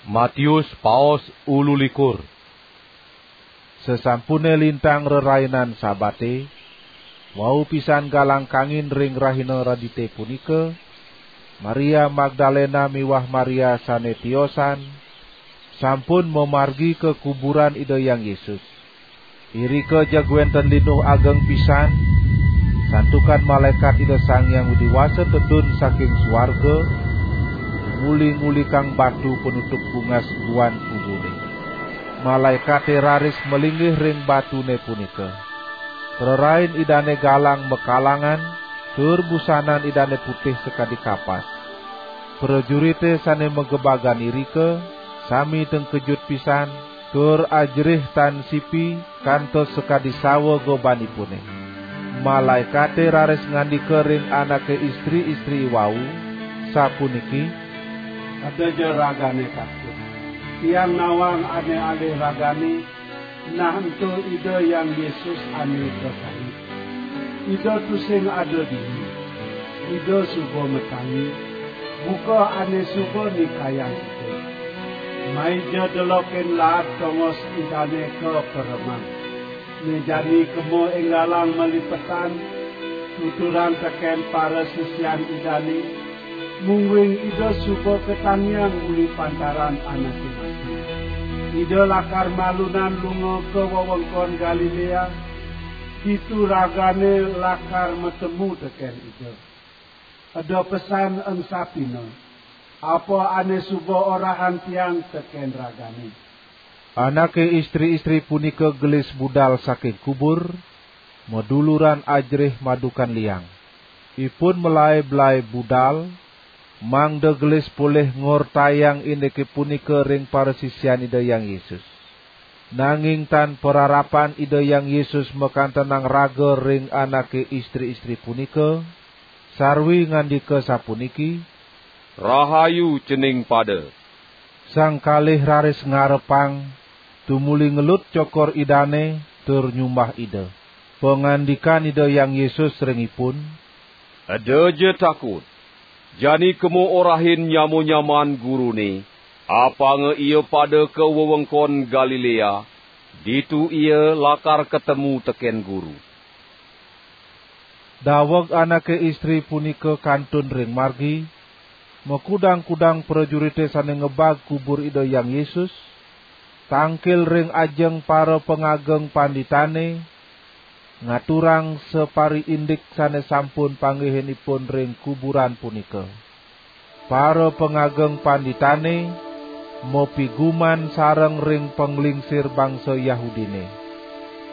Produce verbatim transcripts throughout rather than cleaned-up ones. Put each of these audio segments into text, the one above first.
Matius paos ululikur. Sasampune lintang rerainan Sabate, wau pisan galang kangin ring rahina Redite punika, Maria Magdalena miwah Maria sane tiosan sampun mamargi ka kuburan Ida Hyang Yesus. Irika jeg wenten linuh ageng pisan, santukan malaekat Ida Sang Hyang Widi Wasa tedun saking suarga, nguli-ngulikang batu panutup bungas guan kubure. Malaekate raris malinggih ring batune punika. Prarain Idane galang makalangan, tur busanan Idane putih sakadi kapas. Prajurite sane magebagan irika sami tengkejut pisan, tur ajerih tan sipi kantos sakadi sawa gobanipune. Malaekate raris ngandika ring anake istri-istri iwau, sapuniki: "Eda ja ragane takut. Tiang nawang ane alih ragane, nah ento Ida Hyang Yesus ane kasangit. Ida tusing ada dini. Ida suba matangi, buka ane suba nikayang Ida. Mai ja delokin laad tongos Idane ka pereman. Ne jani kema enggalang malipetan, tuturang teken parasisian Idane, mungguing Ida suba katangiang uli pantaran anake mati. Ida lakar malunan lunga ka wewengkon Galilea, ditu ragane lakar matemu teken Ida. Eda pesan ensapina, apa ane suba orahang Tiang teken ragane." Anake istri-istri punika gelis budal saking kubur, maduluran ajerih madukan liang. Ipun malae-belae budal, mangda gelis polih ngortayang indike punika ring parasisian Ida Hyang Yesus. Nanging tan pararapan Ida Hyang Yesus makantenang raga ring anake istri-istri punika, sarwi ngandika sapuniki: "Rahayu cening pada." Sang kalih raris ngarepang, tumuli ngelut cokor Idane, tur nyumbah Ida. Pangandikan Ida Hyang Yesus ring ipun: "Eda ja takut. Jani kema orahin nyama-nyaman Gurune, apanga ia pada ka wewengkon Galilea, ditu ia lakar katemu teken Guru." Daweg anake istri punika kantun ring margi, makudang-kudang prajurite sane ngebag kubur Ida Hyang Yesus, tangkil ring ajeng parapangageng panditane, ngaturang sapariindik sane sampun panggihin ipun ring kuburan punika. Parapangageng panditane mapiguman sareng ring panglingsir bangsa Yahudine.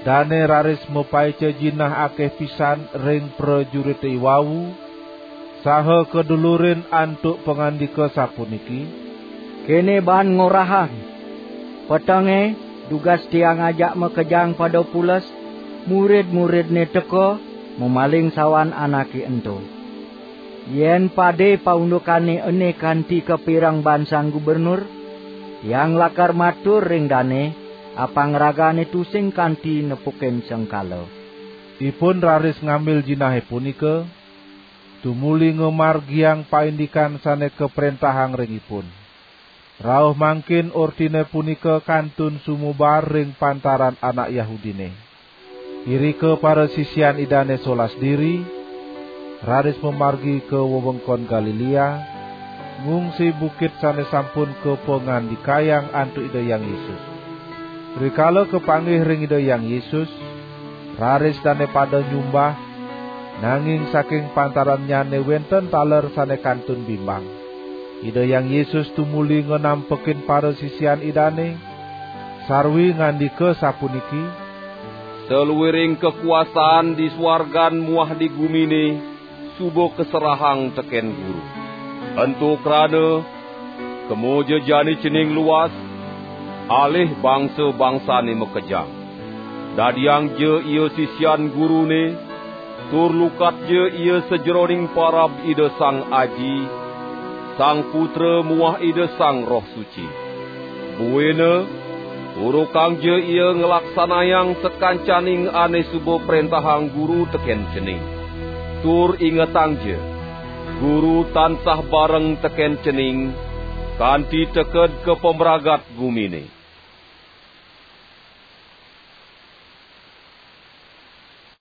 Dane raris mapaica jinah akeh pisan ring prajurite iwau, saha kadulurin antuk pangandika sapuniki: "Kene baan ngorahang: Petenge, dugas Tiang ajak makejang pada pules, murid-muridne teka, mamaling sawan anake ento. Yen pade paundukane ene kanti kapireng baan Sang Gubernur, Tiang lakar matur ring dane, apang ragane tusing kanti nepukin sengkala." Ipun raris ngambil jinahe punika, tumuli ngamargiang paindikan sane kaprentahang ring ipun. Rauh mangkin ortine punika kantun sumebar ring pantaran anak Yahudine. Irika parasisian Idane solas diri, raris mamargi ka wewengkon Galilea, ngungsi bukit sane sampun kapangandikayang antuk Ida Hyang Yesus. Rikala kapanggih ring Ida Hyang Yesus, raris dane pada nyumbah, nanging saking pantarannyane wenten taler sane kantun bimbang. Ida Hyang Yesus tumuli nganampekin parasisian Idane, sarwi ngandika sapuniki: "Saluiring kakuasaan di suargan muah di gumine suba kaserahang teken Guru. Ento krana, kema ja jani cening luas, alih bangsa-bangsane makejang. Dadiang ja ia sisian Gurune, tur lukat ja ia sajeroning parab Ida Sang Aji, Sang Putra muah Ida Sang Roh Suci. Buina, urukang ja ia nglaksanayang sakancaning ane suba prentahang Guru teken cening. Tur ingetang ja, Guru tansah bareng teken cening, kanti teked ka pamragat gumine.